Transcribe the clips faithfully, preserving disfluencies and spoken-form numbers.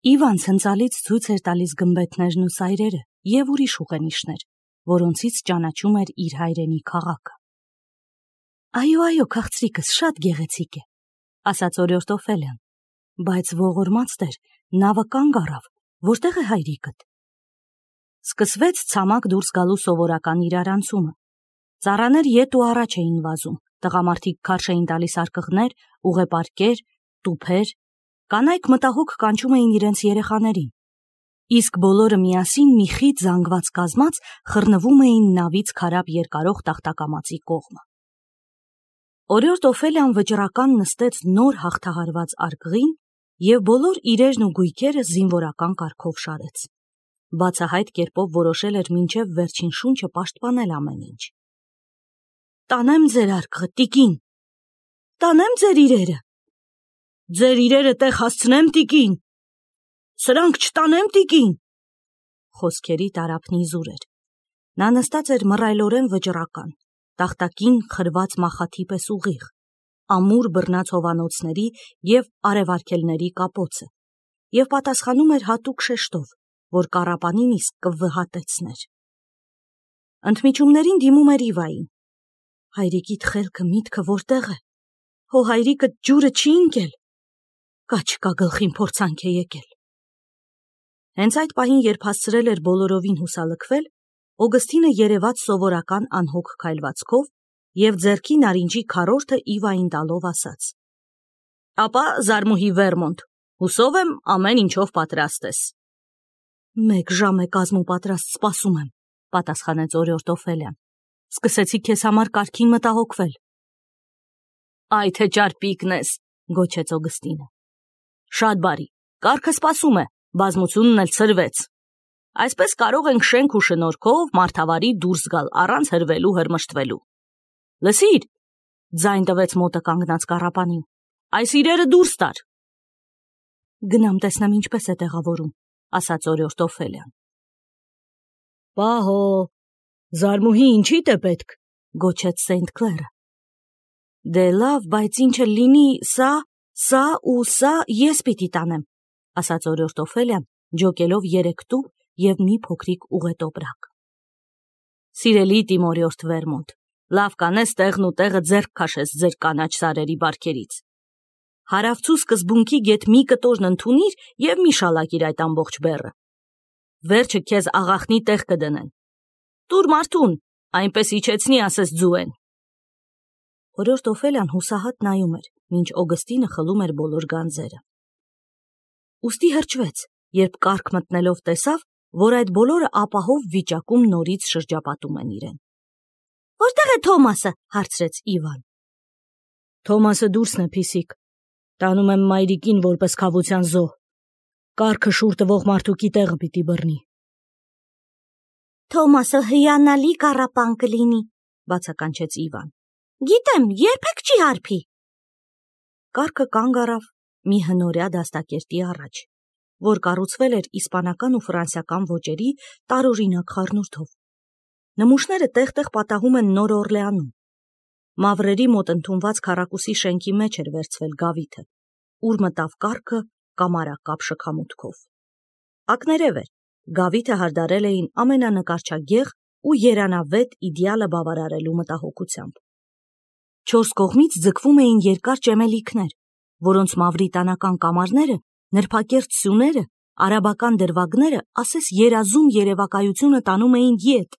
Իվան ցնցալից ցույց էր տալիս գմբեթներն ու սայրերը եւ ուրիշ ուղենիշներ, որոնցից ճանաչում էր իր հայրենի քաղաքը։ Այո, այո, քաղցրիկս շատ գեղեցիկ է, ասաց օրիորդ Օֆելիան, բայց ողորմած տեր, նավը կանգ առավ, որտեղ է հայրիկդ։ Սկսվեց ցամաք դուրս գալու սովորական իրարանցումը։ Ծառաներ ետ ու առաջ էին վազում, տղամարդիկ քարշ էին տալիս արկղներ, ուղեպարկեր, տուփեր, կանայք մտահոգ կանչում էին իրենց երեխաներին, իսկ բոլորը միասին մի խիտ զանգված կազմած խռնվում էին նավից քարափ երկարող տախտակամածի կողմը։ Օրիորդ Օֆելիան վճռական նստեց նոր հաղթահարված արկղին եւ բոլոր իրերն ու գույքերը զինվորական կարգով շարեց։ Բացահայտ կերպով որոշել էր մինչև վերջին շունչը պաշտպանել ամեն ինչ։ Տանեմ ձեր արկղը, տիկին, տանեմ ձեր իրերը, ձեր իրերը տեղ հասցնեմ, տիկին, սրանք չտանեմ, տիկին։ Խոսքերի տարափն իզուր էր։ Նա նստած էր մռայլորեն վճռական, տախտակին խրված մախաթի պես ուղիղ, ամուր բռնած հովանոցների և արևարգելների կապոցը, և պատասխանում էր հատուկ շեշտով, որ կառապանին իսկ կվհատեցներ։ Ընդմիջումներին դիմում էր Իվային։ Հայրիկիդ խելքը միտքը որտեղ է, հո հայրիկդ ջուրը չի ընկել, կա չկա գլխին փորձանք է եկել։ Հենց այդ պահին, երբ հասցրել էր բոլորովին հուսալքվել, Օգստինը երևաց սովորական անհոգ քայլվածքով և ձեռքի նարինջի քառորդը Իվային տալով ասաց. Ապա Զարմուհի Վերմոնտ, հուսով եմ ամեն ինչով պատրաստ ես։ Մեկ ժամ է կազմու պատրաստ սպասում եմ, պատասխանեց օրիորդ Օֆելիան, սկսեցի քեզ համար կարգին մտահոգվել։ Այ թե ճարպիկն ես, գոչեց Օգստինը։ Շատ բարի, կարգը սպասում է, բազմությունն էլ ցրվեց։ Այսպես կարող ենք շենք ու շնորհքով մարդավարի դուրս գալ առանց հրվելու հրմշտվելու։ Լսիր, ձայն տվեց մոտը կանգնած կառապանին, այս իրերը դուրս տար։ Գնամ տեսնեմ ինչպես է տեղավորում, ասաց օրիորդ Օֆելիան։ Պահո, Զարմուհի ինչիդ է պետք, գոչեց Սենթ Քլերը։ Դե լավ, բայց ինչը լինի, սա, սա ու սա ես պիտի տանեմ, ասաց օրիորդ Օֆելիան, ջոկելով երեք տուփ և մի փոքրիկ ուղետոպրակ։ Սիրելի տիմորիորդ Վերմոնտ, լավ կանես տեղն ու տեղը ձեռք քաշես ձեր կանաչ սարերի բարքերից։ Հարավցու սկզբունքի գետ մի կտորն ընդունիր և մի շալակիր այդ ամբողջ բեռը։ Վերջը քեզ աղախնի տեղ կդնեն։ Տուր մարդուն, այնպես իջեցնի, ասես ձուեն։ Օրիորդ Օֆելիան հուսահատ նայում էր, մինչ Օգստինը խլում էր բոլոր գանձերը։ Ուստի հրճվեց, երբ կառք մտնելով տեսավ, որ այդ բոլորը ապահով վիճակում նորից շրջապատում են իրեն։ Որտեղ է Թոմասը, հարցրեց Իվան։ Թոմասը դուրսն է, փիսիկ, տանում եմ մայրիկին որպես քավության զոհ, կառքը շուռ տվող մարդուկի տեղը պիտի բռնի։ Թոմասը հիանալի կառապան կլինի, բացականչեց Իվան։ Գիտեմ, երբեք չի հարբի։ Կառքը կանգ առավ մի հնորյա դաստակերտի առաջ, որ կառուցվել էր իսպանական ու ֆրանսիական ոճերի տարօրինակ խառնուրդով։ Նմուշները տեղ-տեղ պատահում են Նոր Օրլեանում։ Մավրերի մոտ ընդունված քառակուսի շենքի մեջ էր վերցվել գավիթը, ուր մտավ կառքը կամարակապ շքամուտքով։ Ակներև էր, գավիթը հարդարել էին ամենանկարչագեղ ու երանավետ իդեալը բավարարելու մտահոգությամբ։ Չորս կողմից ձգվում էին երկար ճեմելիքներ, որոնց մավրիտանական կամարները, նրբակերտ սյուները, արաբական դրվագները ասես երազում երևակայությունը տանում էին ետ,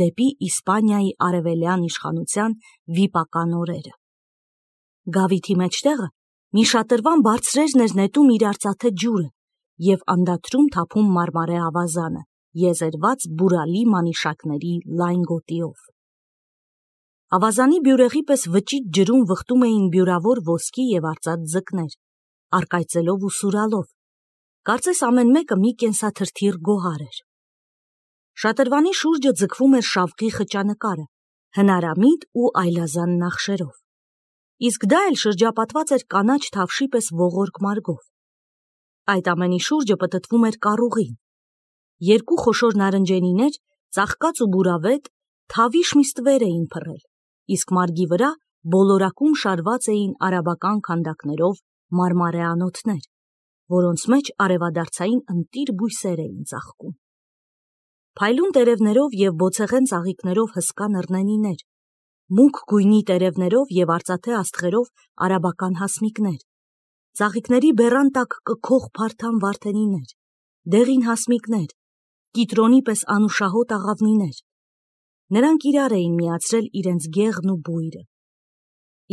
դեպի Իսպանիայի արևելյան իշխանության վիպական օրերը։ Գավիթի մեջտեղը մի շատրվան բարձրերն էր նետում իր արծաթե ջուրը և անդադրում թափում մարմարե ավազանը, եզերված բուրալի մանիշակների լայն գոտիով։ Ավազանի բյուրեղի պես վճիտ ջրում վխտում էին բյուրավոր ոսկի և արծաթ ձկներ, առկայծելով ու սուրալով, կարծես ամեն մեկը մի կենսաթրթիռ գոհար էր։ Շատրվանի շուրջը ձգվում էր շավղի խճանկարը, հնարամիտ ու այլազան նախշերով, իսկ դա էլ շրջապատված էր կանաչ թավշի պես ողորկ մարգով։ Այդ ամենի շուրջը պտտվում էր կառուղին։ Երկու խոշոր նարնջենիներ, ծաղկած ու բուրավետ, թավիշ մի ստվեր էին փռել, իսկ մարգի վրա բոլորակում շարված էին արաբական քանդակներով մարմարե անոթներ, որոնց մեջ արևադարձային ընտիր բույսեր էին ծաղկում։ Փայլուն տերևներով և բոցեղեն ծաղիկներով հսկա նռնենիներ, մուգ գույնի տերևներով և արծաթե աստղերով արաբական հասմիկներ, ծաղիկների բեռան տակ կքող փարթամ վարդենիներ, դեղին հասմիկներ, կիտրոնի պես անուշահոտ աղավնիներ։ Նրանք իրար էին միացրել իրենց գեղն ու բույրը։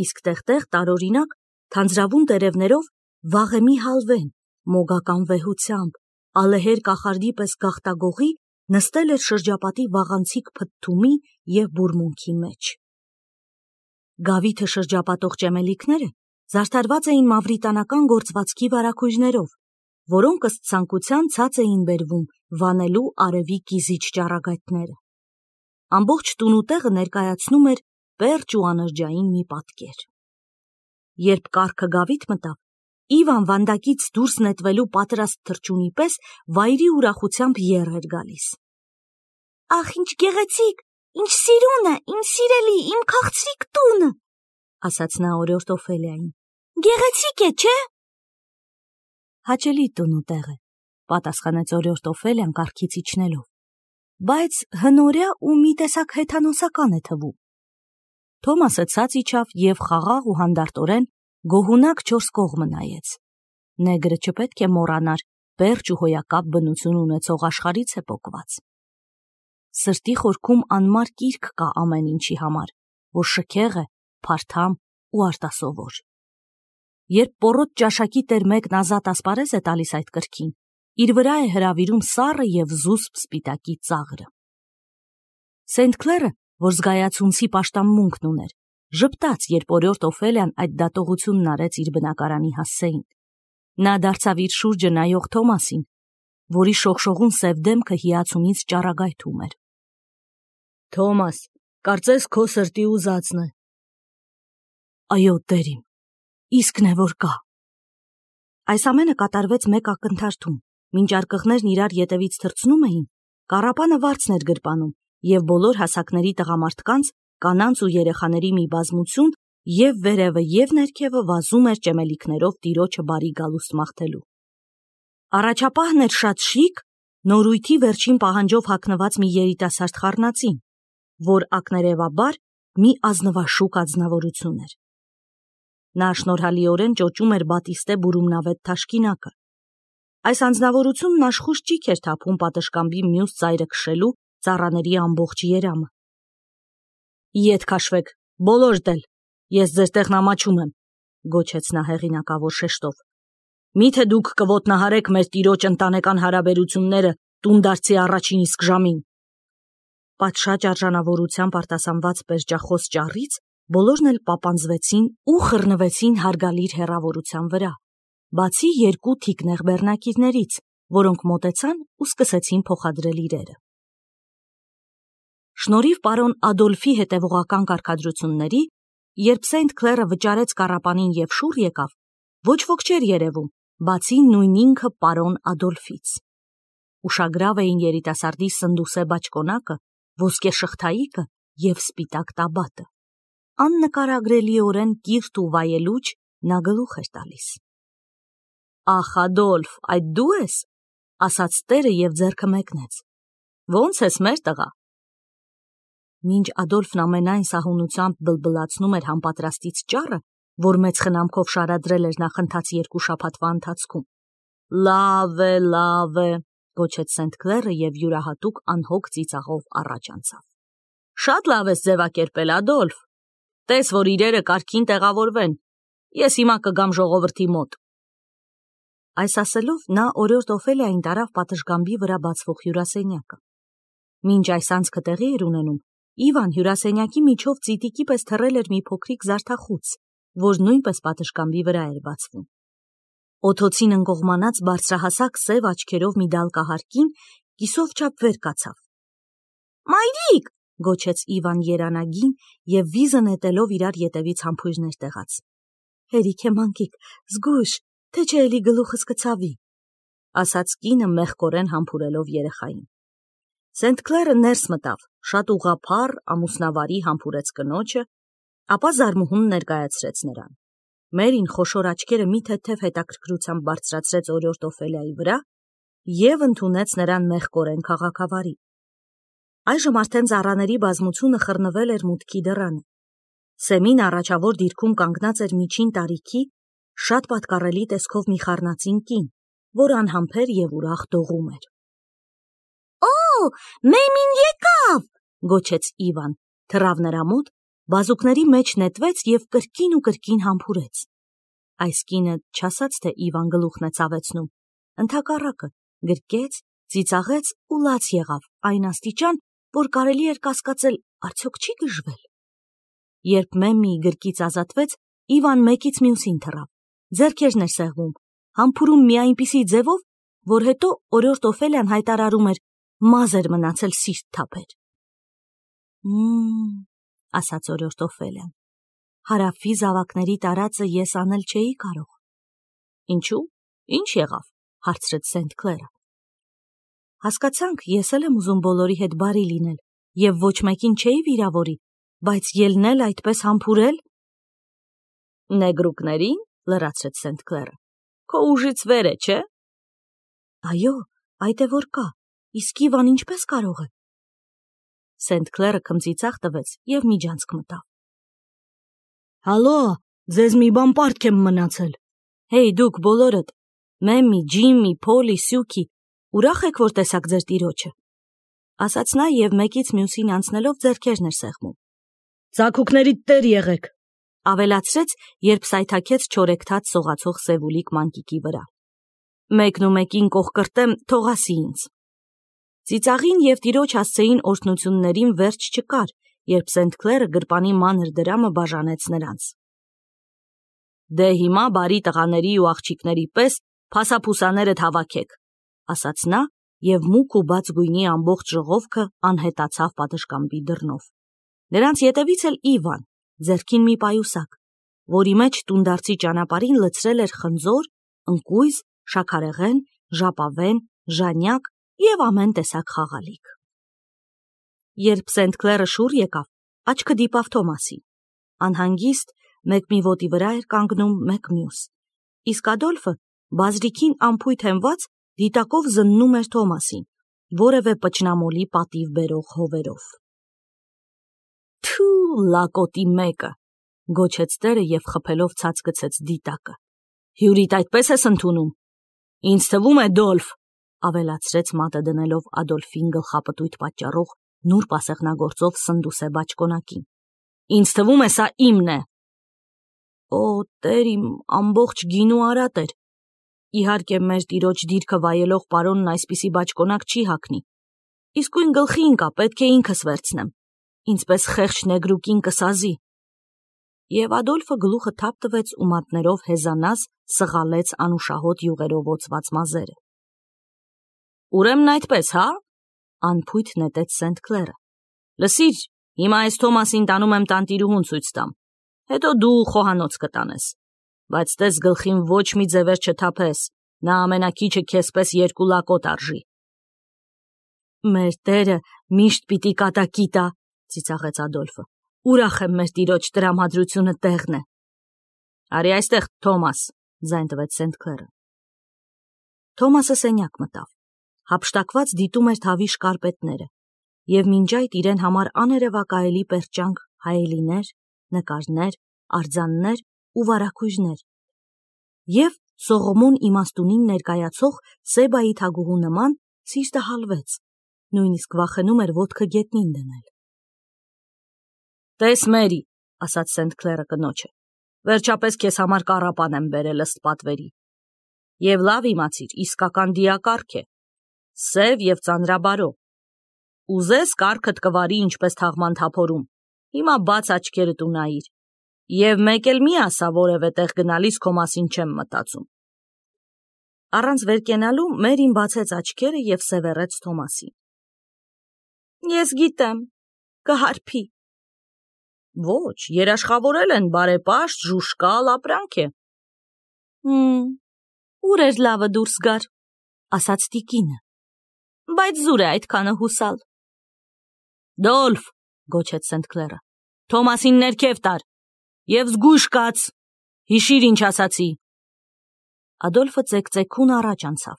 Իսկ տեղ-տեղ տարօրինակ թանձրավուն տերևներով վաղեմի հալվեն, մոգական վեհությամբ, ալեհեր կախարդի պես գաղտագողի նստել էր շրջապատի վաղանցիկ փթթումի և բուրմունքի մեջ։ Գավիթը շրջապատող ճեմելիքները զարդարված էին մավրիտանական գործվածքի վարագույրներով, որոնք ըստ ցանկության ցած էին բերվում վանելու արևի կիզիչ ճառագայթները։ Ամբողջ տունուտեղը ներկայացնում էր պերճ ու անրջային մի պատկեր։ Երբ կառքը գավիթ մտավ, Իվան վանդակից դուրս նետվելու պատրաստ թռչունի պես վայրի ուրախությամբ եռ էր գալիս։ «Ախ, ինչ գեղեցիկ, ինչ սիրուն է, իմ սիրելի, իմ քաղցրիկ տունը», ասաց նա օրիորդ Օֆելիային։ «Գեղեցիկ է, չէ՞» «Հաճելի տունուտեղ է», պատասխանեց օրիորդ Օֆելիան կառքից իջնելով, «բայց հնորյա ու մի տեսակ հեթանոսական է թվում»։ Թոմասը ցած իջավ և խաղաղ ու հանդարտորեն գոհունակ չորս կողմը նայեց։ Նեգրը չպետք է մոռանար պերճ ու հոյակապ բնություն ունեցող աշխարհից է պոկված։ Սրտի խորքում անմար կիրք կա ամեն ինչի համար, որ շքեղ է, փարթամ ու արտասովոր։ Երբ պոռոտ ճաշակի տեր մեկն ազատ ասպարեզ է տալիս այդ կրքին, իր վրա է հրավիրում սառը և զուսպ սպիտակի ծաղրը։ Սենթ Քլերը, որ զգայացունցի պաշտամունքն ուներ, ժպտաց, երբ օրիորդ Օֆելիան այդ դատողությունն արեց իր բնակարանի հասցեին։ Նա դարձավ իր շուրջը նայող Թոմասին, որի շողշողուն սև դեմքը հիացումից ճառագայթում էր։ «Թոմաս, կարծես քո սրտի ուզածն է»։ «Այո, տեր իմ, իսկն է, որ կա»։ Այս ամենը կատարվեց մեկ ակնթարթում, մինչ արկղներն իրար ետևից թռցնում էին, կառապանը վարձն էր գրպանում, և բոլոր հասակների տղամարդկանց, կանանց ու երեխաների մի բազմություն և վերևը և ներքևը վազում էր ճեմելիքներով տիրոջը բարի գալուստ մաղթելու։ Առաջապահն էր շատ շիկ, նորույթի վերջին պահանջով հագնված մի երիտասարդ խառնածին, որ ակներևաբար մի ազնվաշուկ անձնավորություն էր։ Նա շնորհալիորեն ճոճում էր բատիստե բուրումնավետ թաշկինակը։ Այս անձնավորությունն աշխույժ ճիք էր թափում պատշգամբի մյուս ծայրը քշելու ծառաների ամբողջ երամը։ «Ետ քաշվեք, բոլորդ էլ, ես ձեր տեղն ամաչում եմ», գոչեց նա հեղինակավոր շեշտով։ «Մի՞թե դուք կոտնահարեք մեր տիրոջ ընտանեկան հարաբերությունները տունդարձի առաջին իսկ ժամին»։ Պատշաճ արժանավորությամբ արտասանված պերճախոս ճառից բոլորն էլ պապանձվեցին ու խռնվեցին հարգալիր հեռավորության վրա, բացի երկու թիկնեղ բեռնակիրներից, որոնք մոտեցան ու սկսեցին փոխադրել իրերը։ Շնորհիվ պարոն Ադոլֆի հետևողական կարգադրությունների, երբ Սենթ Քլերը վճարեց կառապանին և շուռ եկավ, ոչ ոք չէր երևում, բացի նույն ինքը պարոն Ադոլֆից։ Ուշագրավ էին երիտասարդի սնդուսե բաճկոնակը, ոսկե շղթայիկը և սպիտակ տաբատը։ Աննկարագրելիորեն կիրթ ու վայելուչ նա գլուխ էր տալիս։ «Ախ, Ադոլֆ, այդ դու ես», ասաց տերը և ձեռքը մեկնեց։ «Ո՞նց ես, մեր տղա»։ Մինչ Ադոլֆն ամենայն սահունությամբ բլբլացնում էր համապատրաստից ճառը, որ մեծ խնամքով շարադրել էր նախընթաց երկու շաբաթվա ընթացքում։ «Լավ է, լավ է», գոչեց Սենթ Քլերը և յուրահատուկ անհոգ ծիծաղով առաջ անցավ։ «Շատ լավ ես ձևակերպել, Ադոլֆ։ Տես, որ իրերը կարգին տեղավորվեն։ Ես հիմա կգամ ժողովրդի մոտ»։ Այս ասելով նա օրիորդ Օֆելիային տարավ պատշգամբի վրա բացվող հյուրասենյակը։ Մինչ այս անցքը տեղի էր ունենում, Իվան հյուրասենյակի միջով ծիտիկի պես թռել էր մի փոքրիկ զարդախուց, որ նույնպես պատշգամբի վրա էր բացվում։ Օդոցին ընկողմանած բարձրահասակ սև աչքերով մի դալկահարկին կիսով չափ վեր կացավ։ «Մայրիկ», գոչեց Իվան երանագին և վիզը նետելով իրար ետևից համբույրներ տեղաց։ «Հերիք է, մանկիկ, զգույշ, թե չէ էլի գլուխս կցավի», ասաց կինը մեղքորեն համբուրելով երեխային։ Սենթ Քլերը ներս մտավ, շատ ուղղափառ, ամուսնավարի համբուրեց կնոջը, ապա զարմուհուն ներկայացրեց նրան։ Մերին խոշոր աչքերը մի թեթև հետաքրքրությամբ բարձրացրեց օրիորդ Օֆելիայի վրա և ընդունեց նրան մեղկորեն քաղաքավարի։ Այժմ արդեն ծառաների բազմությունը խռնվել էր մուտքի դռանը։ Սեմին առաջավոր դիրքում կանգնած էր միջին տարիքի, շատ պատկառելի տեսքով մի խառնածին կին, որ անհամբեր և ուրախ դողում էր։ «Օ, Մեմին եկավ», գոչեց Իվան, թռավ նրա մոտ, բազուկների մեջ նետվեց և կրկին ու կրկին համբուրեց։ Այս կինը չասաց, թե Իվան գլուխն է ցավեցնում, ընդհակառակը գրկեց, ծիծաղեց ու լաց եղավ այն աստիճան, որ կարելի էր կասկածել, արդյոք չի գժվել։ Երբ Մեմմիի գրկից ազատվեց, Իվան մեկից մյուսին թռավ, ձեռքերն էր սեղմում, համբուրում մի այնպիսի ձևով, որ հետո օրիորդ Օֆելիան հայտարարում էր մազ էր մնացել սիրտ թափեր։ «Մմ», ասաց օրիորդ Օֆելիան, հարավի զավակների տարածը ես անել չէի կարող։ «Ինչու՞, ինչ եղավ», հարցրեց Սենթ Քլերը։ «Հասկացանք, ես էլ եմ ուզում բոլորի հետ բարի լինել և ոչ մեկին չէի վիրավորի, բայց ելնել այդպես համբուրել»։ «Նեգրուկների՞ն», լրացրեց Սենթ Քլերը, «քո ուժից վեր է, չէ»։ «Այո, այդ է որ կա, իսկ Իվան ինչպես կարող է»։ Սենթ Քլերը քմծիծաղ տվեց և միջանցք մտավ։ «Հալո, ձեզ մի բան պարտք եմ մնացել։ Հեյ, դուք բոլորդ, Մեմմի, Ջիմմի, Փոլի, Սյուքի, ուրախ եք, որ տեսաք ձեր տիրոջը», ասաց նա և մեկից մյուսին անցնելով ձեռքերն էր սեղմում։ «Ձագուկներիդ տեր եղեք», ավելացրեց, երբ սայթաքեց չորեքթաթ սողացող սևուլիկ մանկիկի վրա։ «Մեկն ու մեկին կողկրտեմ, թող ասի ինձ»։ Ծիծաղին և տիրոջ հասցեին օրհնություններին վերջ չկար, երբ Սենթ Քլերը գրպանի մանր դրամը բաժանեց նրանց։ «Դե հիմա բարի տղաների ու աղջիկների պես փասափուսաներդ հավաքեք», ասաց նա և մուգ ու բաց գույնի ամբողջ ժողովքը անհետացավ պատշգամբի դռնով։ Նրանց ետևից էլ Իվան, ձեռքին մի պայուսակ, որի մեջ տունդարձի ճանապարհին լցրել էր խնձոր, ընկույզ, շաքարեղեն, ժապավեն, ժանյակ և ամեն տեսակ խաղալիք։ Երբ Սենթ Քլերը շուռ եկավ, աչքը դիպավ Թոմասին։ Անհանգիստ մեկ մի ոտի վրա էր կանգնում, մեկ մյուս, իսկ Ադոլֆը, բազրիքին ամփույթ հենված, դիտակով զննում էր Թոմասին, որևէ պճնամոլի պատիվ բերող հովերով։ «Թու, լակոտի մեկը», գոչեց տերը և խփելով ցած գցեց դիտակը։ «Հյուրիդ այդպես ես ընդունում։ Ինձ թվում է, Դոլֆ», ավելացրեց մատը դնելով Ադոլֆին գլխապտույտ պատճառող նուրբ ասեղնագործով սնդուսե բաճկոնակին։ «Ինձ թվում է, սա իմն է»։ «Օ, տեր իմ, ամբողջ գինու արատ էր։ Իհարկե, մեր տիրոջ դիրքը վայելող պարոնն այսպիսի բաճկոնակ չի հագնի։ Իսկույն գլխի ընկա, պետք է ինքս վերցնեմ։ Ինձպես խեղճ նեգրուկին կսազի»։ Եվ Ադոլֆը գլուխը թափ տվեց ու մատներով հեզանազ սղալեց անուշահոտ յուղերով օծված մազերը։ «Ուրեմն այդպես, հա՞, անփույթ նետեց Սենթ Քլերը։ «Լսիր, հիմա այս Թոմասին տանում եմ տանտիրուհուն ցույց տամ, հետո դու խոհանոց կտանես, բայց տես գլխին ոչ մի ձևեր չթափես, նա ամենաքիչը քեզ պես երկու լակոտ արժի»։ «Մեր տերը միշտ պիտի կատակի տա», ծիծաղեց Ադոլֆը։ «Ուրախ եմ, մեր տիրոջ տրամադրությունը տեղն է»։ «Արի այստեղ, Թոմաս», ձայն տվեց Սենթ Քլերը։ Թոմասը սենյակ մտավ, հափշտակված դիտում էր թավի շկարպետները և մինչ այդ իրեն համար աներևակայելի պերճանք հայելիներ, նկարներ, արձաններ ու վարագույրներ և Սողոմոն իմաստունին ներկայացող Սեբայի թագուհու նման սիրտը հալվեց, նույնիսկ վախենում էր ոտքը գետնին դնել։ «Տես, Մերի», ասաց Սենթ Քլերը կնոջը, «վերջապես քեզ համար կառապան եմ բերել ըստ պատվերի։ Եվ լավ իմացիր, իսկական դիակառք է, սև և ծանրաբարո։ Ուզես կառքդ կվարի ինչպես թաղման թափորում, հիմա բաց աչքերդ ու նայիր, և մեկ էլ մի ասա որևէ տեղ գնալիս քո մասին չեմ մտածում»։ Առանց վեր կենալու Մերին բացեց աչքերը և սևեռեց Թոմասին։ «Ես գիտեմ, կհարբի»։ «Ոչ, երաշխավորել են, բարեպաշտ, ժուժկալ ապրանք է»։ «Հմ, ուր էր լավը դուրս գար», ասաց տիկինը, «բայց զուր է այդքանը հուսալ»։ «Դոլֆ», գոչեց Սենթ Քլերը, «Թոմասին ներքև տար և զգույշ կաց, Հիշիր ինչ ասացի։ Ադոլֆը ծեքծեքուն առաջ անցավ։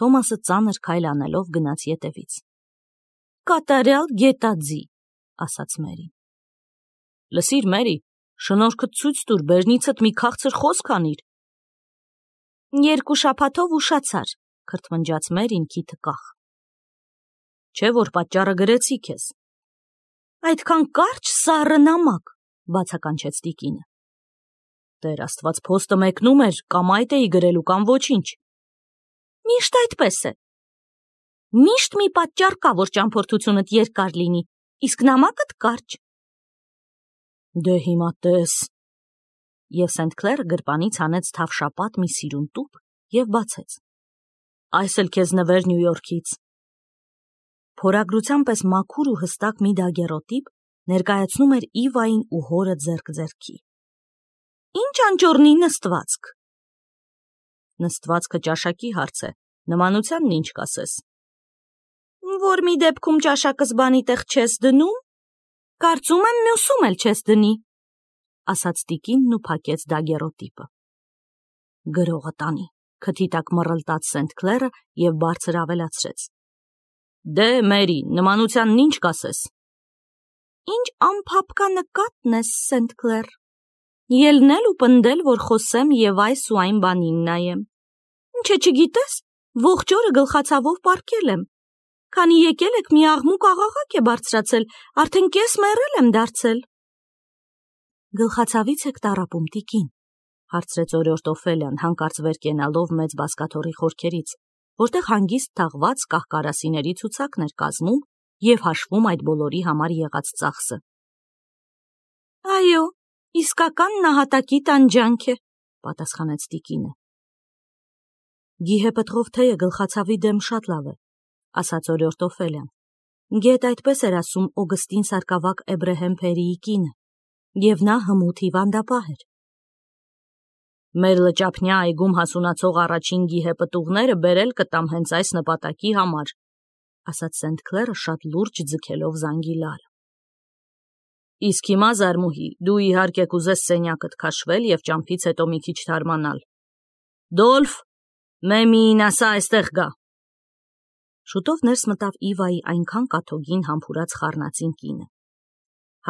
Թոմասը ծանր քայլ անելով գնաց ետևից։ Կատարյալ գետաձի, ասաց Մերին։ Լսիր, Մերի, շնորհքդ ցույց տուր, բերնիցդ մի քաղցր խոսք անիր։ Երկու շաբաթով ուշացար, քրթմնջաց Մերին քիթը կախ։ Չէ՞ որ պատճառը գրեցի քեզ։ Այդքան կարճ սառը նամակ, բացականչեց տիկինը։ Տեր Աստված, փոստը մեկնում էր, կամ այդ էի գրելու, կամ ոչինչ։ Միշտ այդպես է։ Միշտ մի պատճառ կա, որ ճամփորդությունդ երկար լինի, իսկ նամակդ կարճ։ Դե հիմա տես։ Եվ Սենթ Քլերը գրպանից հանեց թավշապատ մի սիրուն տուփ և բացեց։ Այս էլ քեզ նվեր Նյու Յորքից։ Փորագրության պես մաքուր ու հստակ մի դագերոտիպ ներկայացնում էր Իվային ու հորը ձեռք-ձեռքի։ Ինչ անճոռնի նստվածք։ Նստվածքը ճաշակի հարց է, նմանությանն ինչ կասես։ Որ մի դեպքում ճաշակս բանի տեղ չես դնում, կարծում եմ մյուսում էլ չես դնի, ասաց տիկինն ու փակեց դագերոտիպը։ Գրողը տանի, քթի տակ մռլտաց Սենթ Քլերը և բարձր ավելացրեց։ Դե, Մերի, նմանությանն ինչ կասես։ Ինչ անփափկա նկատն ես, Սենթ Քլեր։ Ելնել ու պնդել, որ խոսեմ և այս ու այն բանին նայեմ։ Չէ, չգիտես, ողջ օրը գլխացավով պառկել եմ։ Քանի եկել եք, մի աղմուկ աղաղակ է բարձրացել, արդեն կես մեռել եմ դարձել։ Գլխացավից եք տառապում, տիկին, հարցրեց օրորտ Օֆելիան, հանկարծ վեր կենալով մեծ բազկաթոռի խորքերից, որտեղ հանգիստ թաղված կահկարասիների ցուցակն էր կազմում և հաշվում այդ բոլորի համար եղած ծախսը։ Այո, իսկական նահատակի տանջանք է, պատասխանեց տիկինը։ Գիհեպտղով թեյը գլխացավի դեմ շատ լավ է, ասաց օրորտ Օֆելիան։ Գետ այդպես էր ասում Օգստին սարկավակ Էբրեհեմ Փերիի կինը, և նա հմուտ հիվանդապահ էր։ Մեր լճափնյա այգում հասունացող առաջին գիհեպտուղները բերել կտամ հենց այս նպատակի համար, ասաց Սենթ Քլերը շատ լուրջ ձգելով զանգի լարը։ Իսկ հիմա, զարմուհի, դու իհարկե կուզես սենյակդ քաշվել և ճամփից հետո մի քիչ թարմանալ։ Դոլֆ, Մեմիին ասա այստեղ գա։ Շուտով ներս մտավ Իվայի այնքան կաթոգին համբուրած խառնածին կինը։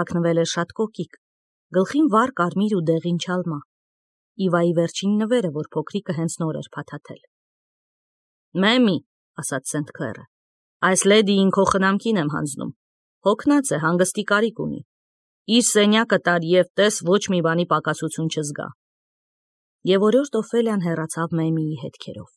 Հագնվել էր շատ կոկիկ, գլխին վառ կարմիր ու դեղին չալմա։ Իվայի վերջին նվերը, որ փոքրիկը հենց նոր էր փաթաթել։ Մեմի, ասաց Սենթ Քլերը, այս լեդիին քո խնամքին եմ հանձնում։ Հոգնած է, հանգստի կարիք ունի։ Իր սենյակը տար և տես ոչ մի բանի պակասություն չզգա։ Եվ օրորտ Օֆելիան հեռացավ Մեմիի հետքերով։